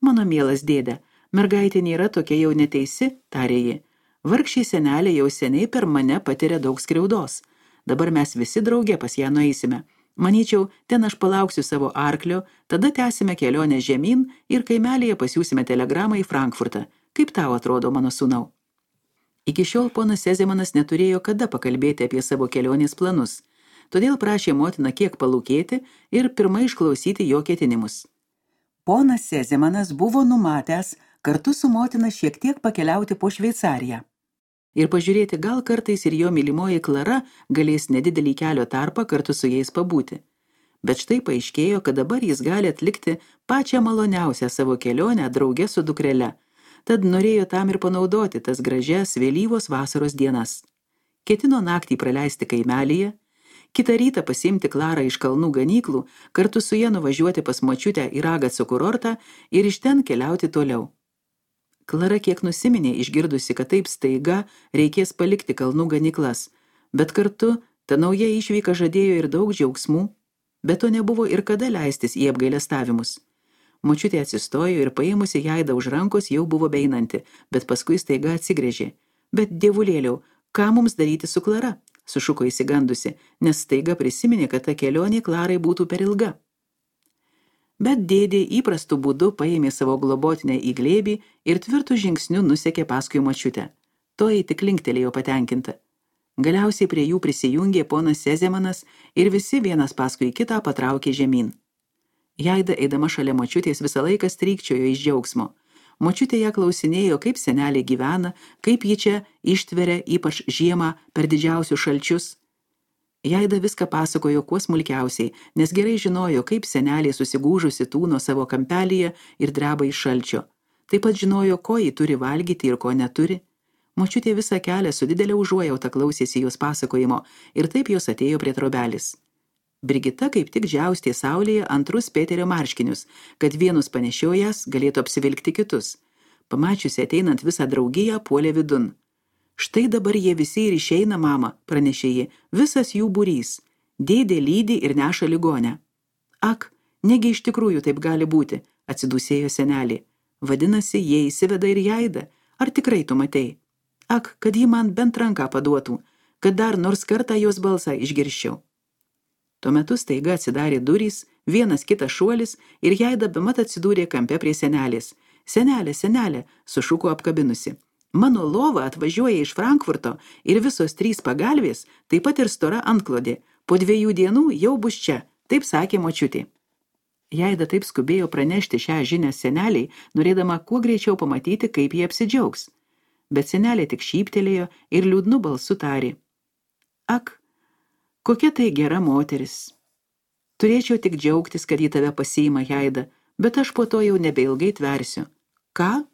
Mano mielas dėde, mergaitė nėra tokia jau neteisi, tarė ji. Vargšiai senelė jau seniai per mane patiria daug skriaudos. Dabar mes visi drauge pas ją nueisime. Manyčiau, ten aš palauksiu savo arklio, tada tęsime kelionę žemyn ir kaimelėje pasiųsime telegramą į Frankfurtą. Kaip tau atrodo, mano sūnau? Iki šiol ponas Sezemanas neturėjo kada pakalbėti apie savo kelionės planus, todėl prašė motiną kiek palūkėti ir pirmai išklausyti jo ketinimus. Ponas Sezemanas buvo numatęs kartu su motina šiek tiek pakeliauti po Šveicariją ir pažiūrėti, gal kartais ir jo mylimoji Klara galės nedidelį kelio tarpą kartu su jais pabūti. Bet štai paaiškėjo, kad dabar jis gali atlikti pačią maloniausią savo kelionę drauge su dukrele, tad norėjo tam ir panaudoti tas gražias vėlyvos vasaros dienas. Ketino naktį praleisti kaimelyje, kitą rytą pasiimti Klarą iš kalnų ganyklų, kartu su ja nuvažiuoti pas močiutę į Ragaco kurortą ir iš ten keliauti toliau. Klara kiek nusiminė išgirdusi, kad taip staiga reikės palikti kalnų ganyklas, bet kartu ta nauja išvyka žadėjo ir daug džiaugsmų, bet to nebuvo ir kada leistis į apgailestavimus. Močiutė atsistojo ir paėmusi Jaidą už rankos jau buvo beinanti, bet paskui staiga atsigręžė. Bet dievulėliau, ką mums daryti su Klara? Sušuko įsigandusi, nes staiga prisiminė, kad ta kelionė Klarai būtų per ilga. Bet dėdė įprastu būdu paėmė savo globotinę į glėbį ir tvirtų žingsnių nusekė paskui močiutę. Toji tik linktelėjo patenkinta. Galiausiai prie jų prisijungė ponas Sezemanas ir visi vienas paskui kitą patraukė žemyn. Jaida, eidama šalia močiutės, visą laiką strykčiojo iš džiaugsmo. Močiutė ją klausinėjo, kaip senelė gyvena, kaip ji čia ištveria, ypač žiemą per didžiausius šalčius. Jaida viską pasakojo kuo smulkiausiai, nes gerai žinojo, kaip senelė susigūžusi tūno savo kampelyje ir dreba iš šalčio. Taip pat žinojo, ko ji turi valgyti ir ko neturi. Močiutė visą kelią su didelė užuojauta klausėsi jos pasakojimo ir taip jos atėjo prie trobelės. Brigita kaip tik džiaustė saulėje antrus Peterio marškinius, kad vienus panešiojas galėtų apsivilkti kitus. Pamačiusi ateinant visą draugiją, puolė vidun. Štai dabar jie visi ir išeina, mama, pranešė ji, visas jų būrys. Dėdė lydi ir neša ligonę. Ak, negi iš tikrųjų taip gali būti, atsidūsėjo senelė. Vadinasi, jie įsiveda ir Jaidą. Ar tikrai tu matei? Ak, kad ji man bent ranką paduotų, kad dar nors kartą jos balsą išgirščiau. Tuo metu staiga atsidarė durys, vienas kitas šuolis ir Jaida bemat atsidūrė kampe prie senelės. Senelė, senelė, sušuko apkabinusi. Mano lova atvažiuoja iš Frankfurto ir visos 3 pagalvės, taip pat ir stora antklodė. Po 2 dienų jau bus čia, taip sakė močiutė. Jaida taip skubėjo pranešti šią žinią seneliai, norėdama kuo greičiau pamatyti, kaip jie apsidžiaugs. Bet senelė tik šyptelėjo ir liūdnu balsu tarė. Ak, kokia tai gera moteris. Turėčiau tik džiaugtis, kad į tave pasiima Jaida, bet aš po to jau nebeilgai tversiu. Ką?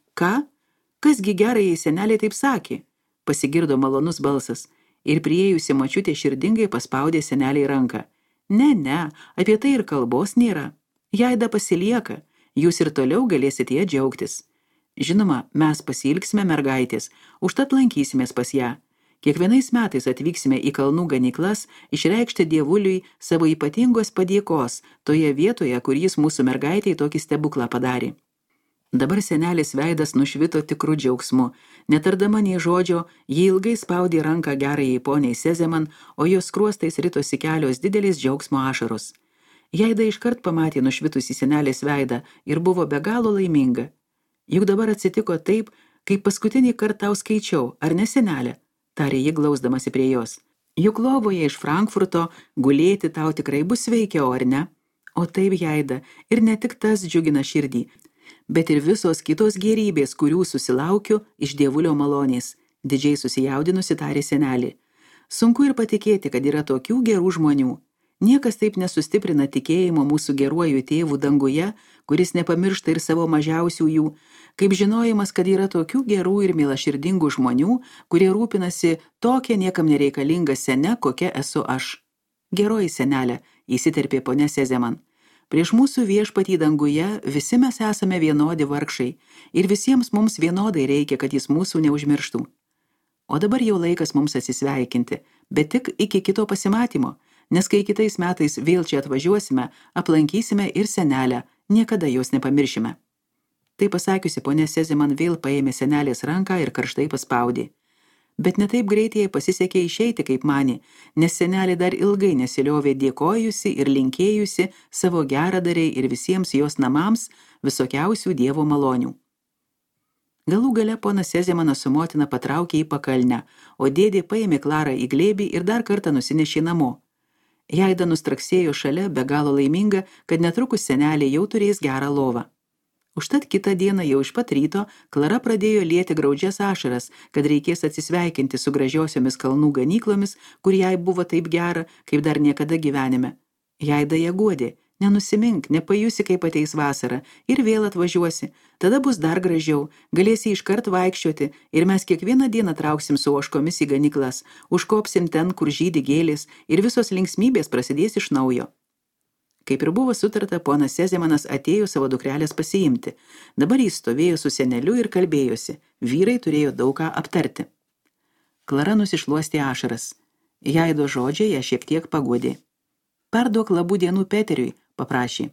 Kasgi gerai senelė taip sakė? Pasigirdo malonus balsas ir priėjusi močiutė širdingai paspaudė seneliai ranką. Ne, apie tai ir kalbos nėra. Jaida pasilieka, jūs ir toliau galėsite ją džiaugtis. Žinoma, mes pasiilgsime mergaitės, užtat lankysimės pas ją. Kiekvienais metais atvyksime į kalnų ganyklas išreikšti dievuliui savo ypatingos padėkos toje vietoje, kur jis mūsų mergaitei tokį stebuklą padarė. Dabar senelės veidas nušvito tikrų džiaugsmu. Netardama nei žodžio, ji ilgai spaudė ranką gerajai poniai Sezeman, o jos skruostais ritosi kelios didelės džiaugsmo ašaros. Jaida iškart pamatė nušvitusį senelės veidą ir buvo be galo laiminga. Juk dabar atsitiko taip, kaip paskutinį kartą tau skaičiau, ar ne senelė? Tarė ji glausdamasi prie jos. Juk lovoje iš Frankfurto gulėti tau tikrai bus sveikiau, ar ne? O taip, Jaida, ir ne tik tas džiugina širdį, bet ir visos kitos gėrybės, kurių susilaukiu iš dievulio malonės, didžiai susijaudinusi tarė senelė. Sunku ir patikėti, kad yra tokių gerų žmonių. Niekas taip nesustiprina tikėjimo mūsų geruoju tėvų danguje, kuris nepamiršta ir savo mažiausiųjų, kaip žinojimas, kad yra tokių gerų ir mielaširdingų žmonių, kurie rūpinasi tokia niekam nereikalinga sene, kokia esu aš. Geroji senelė, įsiterpė ponia Sezeman. Prieš mūsų viešpatį danguje visi mes esame vienodi vargšai ir visiems mums vienodai reikia, kad jis mūsų neužmirštų. O dabar jau laikas mums atsisveikinti, bet tik iki kito pasimatymo, nes kai kitais metais vėl čia atvažiuosime, aplankysime ir senelę, niekada jos nepamiršime. Tai pasakiusi, ponia Sezeman vėl paėmė senelės ranką ir karštai paspaudė. Bet netaip greitai jai pasisekė išeiti, kaip manė, nes senelė dar ilgai nesiliovė dėkojusi ir linkėjusi savo geradariai ir visiems jos namams visokiausių dievo malonių. Galų gale ponas Sezemanas su motina patraukė į pakalnę, o dėdė paėmė Klarą į glėbį ir dar kartą nusinešė namo. Jaida nustraksėjo šalia, be galo laiminga, kad netrukus senelė jau turės gerą lovą. Užtat kitą dieną jau iš pat ryto Klara pradėjo lieti graudžias ašaras, kad reikės atsisveikinti su gražiosiomis kalnų ganyklomis, kur jai buvo taip gera, kaip dar niekada gyvenime. Jaida ją guodė, nenusimink, nepajusi, kaip ateis vasara, ir vėl atvažiuosi, tada bus dar gražiau, galėsi iškart vaikščioti ir mes kiekvieną dieną trauksim su ožkomis į ganyklas, užkopsim ten, kur žydi gėlės ir visos linksmybės prasidės iš naujo. Kaip ir buvo sutarta, ponas Sezemanas atėjo savo dukrelės pasiimti. Dabar jis stovėjo su seneliu ir kalbėjosi. Vyrai turėjo daug ką aptarti. Klara nusišluostė ašaras. Jaido žodžiai ją šiek tiek paguodė. Perduok labų dienų Peteriui, paprašė.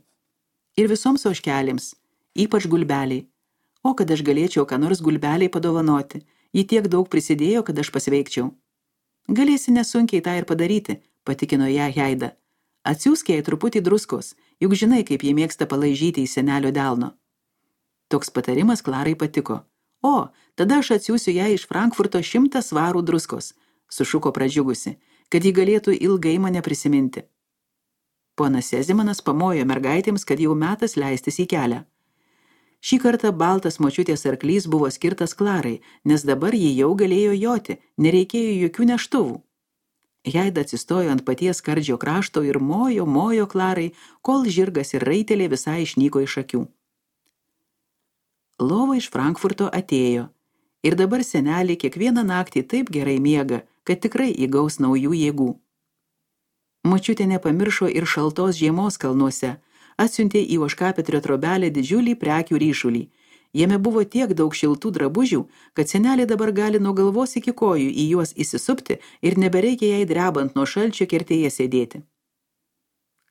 Ir visoms ožkelėms, ypač Gulbeliai. O kad aš galėčiau ką nors Gulbeliai padovanoti. Ji tiek daug prisidėjo, kad aš pasveikčiau. Galėsi nesunkiai tą ir padaryti, patikino ją Jaida. Atsiųsk jai truputį druskos, juk žinai, kaip jie mėgsta palaižyti į senelio delno. Toks patarimas Klarai patiko. O, tada aš atsiųsiu ją iš Frankfurto 100 svarų druskos, sušuko pradžiugusi, kad ji galėtų ilgai mane prisiminti. Ponas Sezemanas pamojo mergaitėms, kad jau metas leistis į kelią. Šį kartą baltas močiutės arklys buvo skirtas Klarai, nes dabar ji jau galėjo joti, nereikėjo jokių neštuvų. Jaida atsistojo ant paties skardžio krašto ir mojo Klarai, kol žirgas ir raitelė visai išnyko iš akių. Lova iš Frankfurto atėjo ir dabar senelė kiekvieną naktį taip gerai miega, kad tikrai įgaus naujų jėgų. Močiutė nepamiršo ir šaltos žiemos kalnuose, atsiuntė į ožkapetrio trobelę didžiulį prekių ryšulį. Jame buvo tiek daug šiltų drabužių, kad senelė dabar gali nuo galvos iki kojų į juos įsisupti ir nebereikia jai drebant nuo šalčio kertėje sėdėti.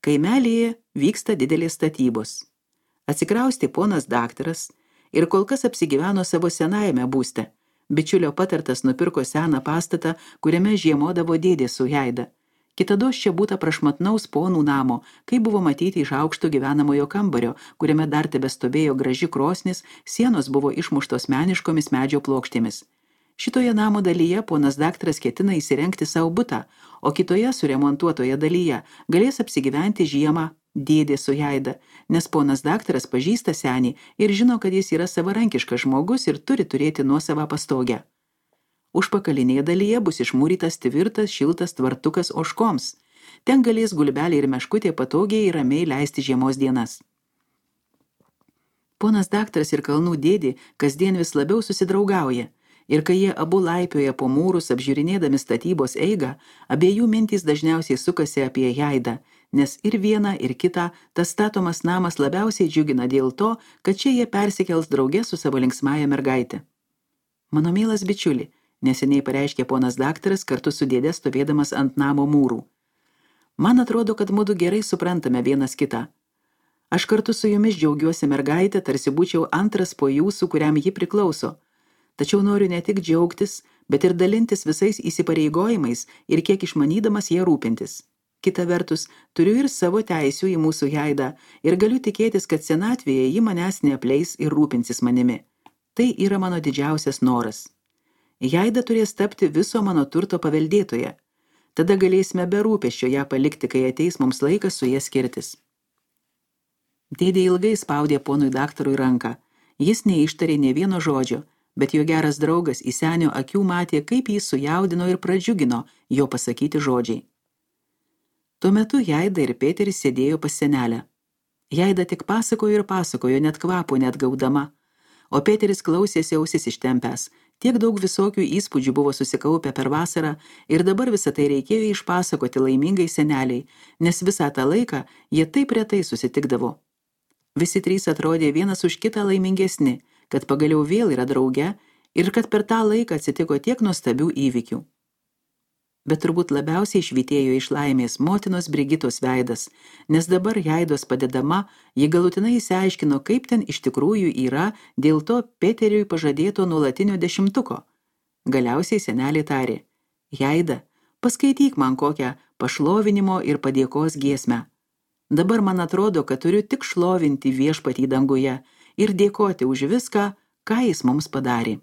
Kaimelyje vyksta didelės statybos. Atsikraustė ponas daktaras ir kol kas apsigyveno savo senajame būste. Bičiulio patartas nupirko seną pastatą, kuriame žiemodavo dėdė su Jaida. Kitados čia būta prašmatnaus ponų namo, kaip buvo matyti iš aukšto gyvenamojo kambario, kuriame dar tebestovėjo graži krosnis, sienos buvo išmuštos meniškomis medžio plokštėmis. Šitoje namo dalyje ponas daktaras ketina įsirengti savo butą, o kitoje suremontuotoje dalyje galės apsigyventi žiemą dėdė su Jaida, nes ponas daktaras pažįsta senį ir žino, kad jis yra savarankiškas žmogus ir turi turėti nuosavą pastogę. Užpakalinėje dalyje bus išmūrytas tvirtas, šiltas tvartukas ožkoms. Ten galės gulbelė ir meškutė patogiai ir ramiai leisti žiemos dienas. Ponas daktaras ir kalnų dėdė kasdien vis labiau susidraugauja. Ir kai jie abu laipioja po mūrus apžiūrinėdami statybos eigą, abiejų mintys dažniausiai sukasi apie Jaidą, nes ir viena, ir kita tas statomas namas labiausiai džiugina dėl to, kad čia jie persikels drauge su savo linksmąja mergaitė. Mano mielas bičiuli, neseniai pareiškė ponas daktaras kartu su dėde stovėdamas ant namo mūrų. Man atrodo, kad mudu gerai suprantame vienas kitą. Aš kartu su jumis džiaugiuosi mergaitę, tarsi būčiau antras po jūsų, kuriam ji priklauso. Tačiau noriu ne tik džiaugtis, bet ir dalintis visais įsipareigojimais ir kiek išmanydamas jie rūpintis. Kita vertus, turiu ir savo teisių į mūsų Jaidą ir galiu tikėtis, kad senatvėje ji manęs neapleis ir rūpinsis manimi. Tai yra mano didžiausias noras. Jaida turės tapti viso mano turto paveldėtoje. Tada galėsime be rūpesčio ją palikti, kai ateis mums laikas su jie skirtis. Dėdė ilgai spaudė ponui daktarui ranką. Jis neištarė nė vieno žodžio, bet jo geras draugas į senio akių matė, kaip jį sujaudino ir pradžiugino jo pasakyti žodžiai. Tuo metu Jaida ir Peteris sėdėjo pas senelę. Jaida tik pasakojo ir pasakojo, net kvapo net gaudama, o Peteris klausėsi ausis ištempęs. Tiek daug visokių įspūdžių buvo susikaupę per vasarą ir dabar visą tai reikėjo išpasakoti laimingai seneliai, nes visą tą laiką jie taip retai susitikdavo. Visi trys atrodė vienas už kitą laimingesni, kad pagaliau vėl yra drauge ir kad per tą laiką atsitiko tiek nuostabių įvykių. Bet turbūt labiausiai švytėjo iš laimės motinos Brigitos veidas, nes dabar Jaidos padedama, ji galutinai išsiaiškino, kaip ten iš tikrųjų yra dėl to Peteriui pažadėto nuolatinio 10. Galiausiai senelė tarė: Jaida, paskaityk man kokią pašlovinimo ir padėkos giesmę. Dabar man atrodo, kad turiu tik šlovinti viešpatį danguje ir dėkoti už viską, ką jis mums padarė.